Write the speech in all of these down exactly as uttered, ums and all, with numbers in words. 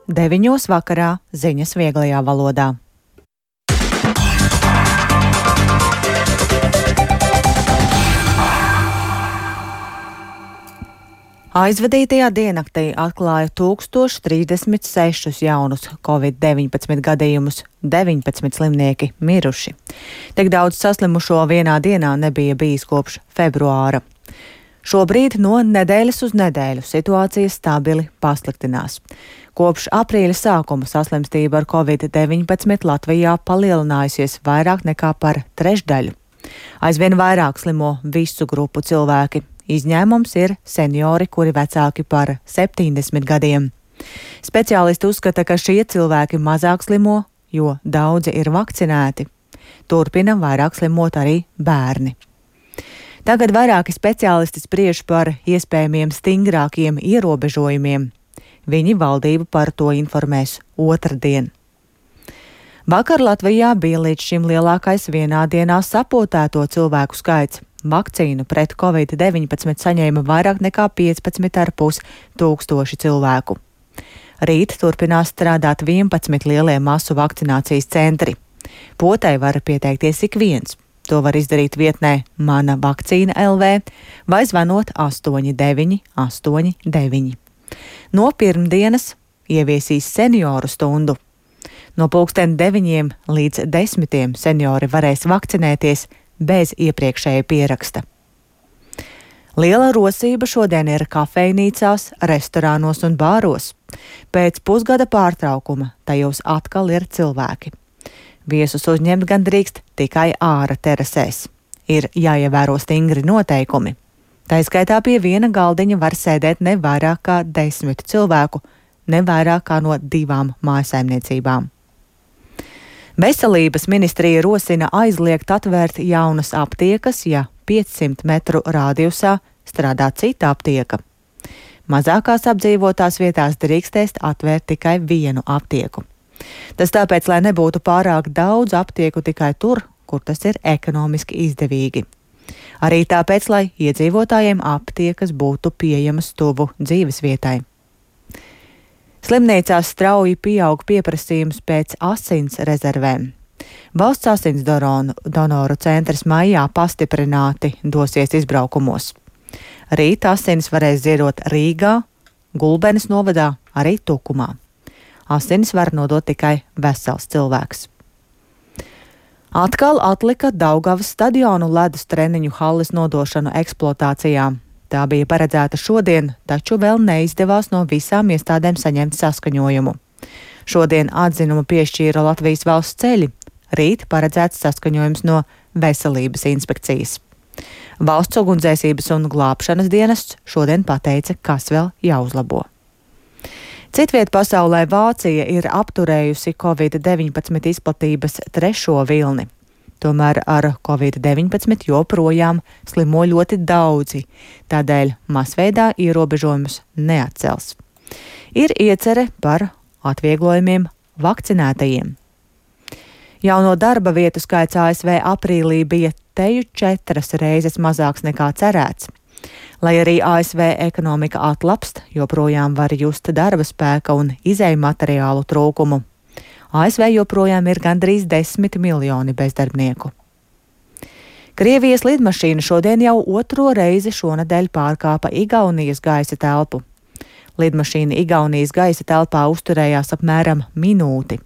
deviņos vakarā ziņas vieglajā valodā. Aizvadītajā diennaktī atklāja tūkstoš trīsdesmit sešus jaunus covid deviņpadsmit gadījumus, deviņpadsmit slimnieki miruši. Tik daudz saslimušo vienā dienā nebija bijis kopš februāra. Šobrīd no nedēļas uz nedēļu situācija stabili pasliktinās. Kopš aprīļa sākuma saslimstība ar covid deviņpadsmit Latvijā palielinājusies vairāk nekā par trešdaļu. Aizvien vairāk slimo visu grupu cilvēki. Izņēmums ir seniori, kuri vecāki par septiņdesmit gadiem. Speciālisti uzskata, ka šie cilvēki mazāk slimo, jo daudzi ir vakcinēti. Turpina vairāk slimot arī bērni. Tagad vairāki speciālisti spriež par iespējamiem stingrākiem ierobežojumiem. Viņi valdību par to informēs otrdien. Vakar Latvijā bija līdz šim lielākais vienā dienā sapotēto cilvēku skaits. Vakcīnu pret covid deviņpadsmit saņēma vairāk nekā piecpadsmit ar pus tūkstoši cilvēku. Rīt turpinās strādāt vienpadsmit lielie masu vakcinācijas centri. Potai var pieteikties ik viens. To var izdarīt vietnē Mana vakcīna L V vai zvanot astoņi deviņi astoņi deviņi. No pirmdienas ieviesīs senioru stundu. No pulksten deviņiem līdz desmitiem seniori varēs vakcinēties bez iepriekšēja pieraksta. Liela rosība šodien ir kafejnīcās, restorānos un bāros. Pēc pusgada pārtraukuma tajos atkal ir cilvēki. Viesus uzņemt gan drīkst tikai ārā terasēs. Ir jāievēro stingri noteikumi. Tā skaitā pie viena galdiņa var sēdēt ne vairāk kā desmit cilvēku, ne vairāk kā no divām mājsaimniecībām. Veselības ministrija rosina aizliegt atvērt jaunas aptiekas, ja piecsimt metru rādijusā strādā cita aptieka. Mazākās apdzīvotās vietās drīkstēs atvērt tikai vienu aptieku. Tas tāpēc, lai nebūtu pārāk daudz aptieku tikai tur, kur tas ir ekonomiski izdevīgi. Arī tāpēc, lai iedzīvotājiem aptiekas būtu pieejamas tuvu dzīvesvietai. Slimnīcās strauji pieaug pieprasījums pēc asins rezervēm. Valsts asins donoru centrs maijā pastiprināti dosies izbraukumos. Rīt asins varēs ziedot Rīgā, Gulbenes novadā, arī Tukumā. Asinis var nodot tikai vesels cilvēks. Atkal atlika Daugavas stadionu ledus treniņu halles nodošanu eksploatācijā. Tā bija paredzēta šodien, taču vēl neizdevās no visām iestādēm saņemt saskaņojumu. Šodien atzinumu piešķīra Latvijas valsts ceļi, rīt paredzēts saskaņojums no veselības inspekcijas. Valsts ugunsdzēsības un glābšanas dienests šodien pateica, kas vēl jāuzlabo. Citviet pasaulē Vācija ir apturējusi covid deviņpadsmit izplatības trešo vilni. Tomēr ar covid deviņpadsmit joprojām slimo ļoti daudzi, tādēļ masveidā ierobežojumus neatcels. Ir iecere par atvieglojumiem vakcinētajiem. Jauno darba vietu skaits A S V aprīlī bija teju četras reizes mazāks nekā cerēts. Lai arī A S V ekonomika atlapst, joprojām var just darba spēka un izēju materiālu trūkumu. A S V joprojām ir gandrīz desmit miljoni bezdarbnieku. Krievijas lidmašīna šodien jau otro reizi šonadēļ pārkāpa Igaunijas gaisa telpu. Lidmašīna Igaunijas gaisa telpā uzturējās apmēram minūti.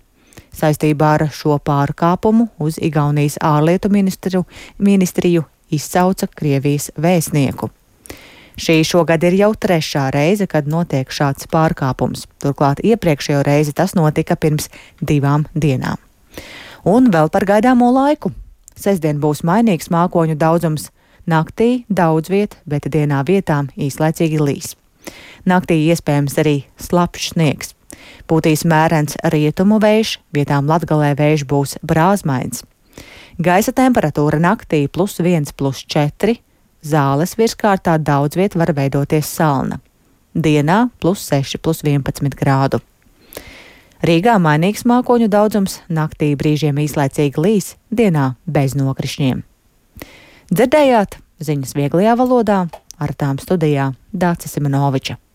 Saistībā ar šo pārkāpumu uz Igaunijas ārlietu ministru, ministriju izsauca Krievijas vēstnieku. Šī šogad ir jau trešā reize, kad notiek šāds pārkāpums. Turklāt iepriekšējo reizi tas notika pirms divām dienām. Un vēl par gaidāmo laiku. Sestdien būs mainīgs mākoņu daudzums. Naktī daudz viet, bet dienā vietām īslaicīgi līs. Naktī iespējams arī slapjš sniegs. Pūtīs mērens rietumu vējš, vietām Latgalē vējš būs brāzmains. Gaisa temperatūra naktī plus viens, plus četri. Zāles virskārtā daudz viet var veidoties salna. Dienā plus seši, plus vienpadsmit grādu. Rīgā mainīgs mākoņu daudzums, naktī brīžiem īslaicīgi līs, dienā bez nokrišņiem. Dzirdējāt ziņas vieglajā valodā, ar tām studijā Dācis Simonoviča.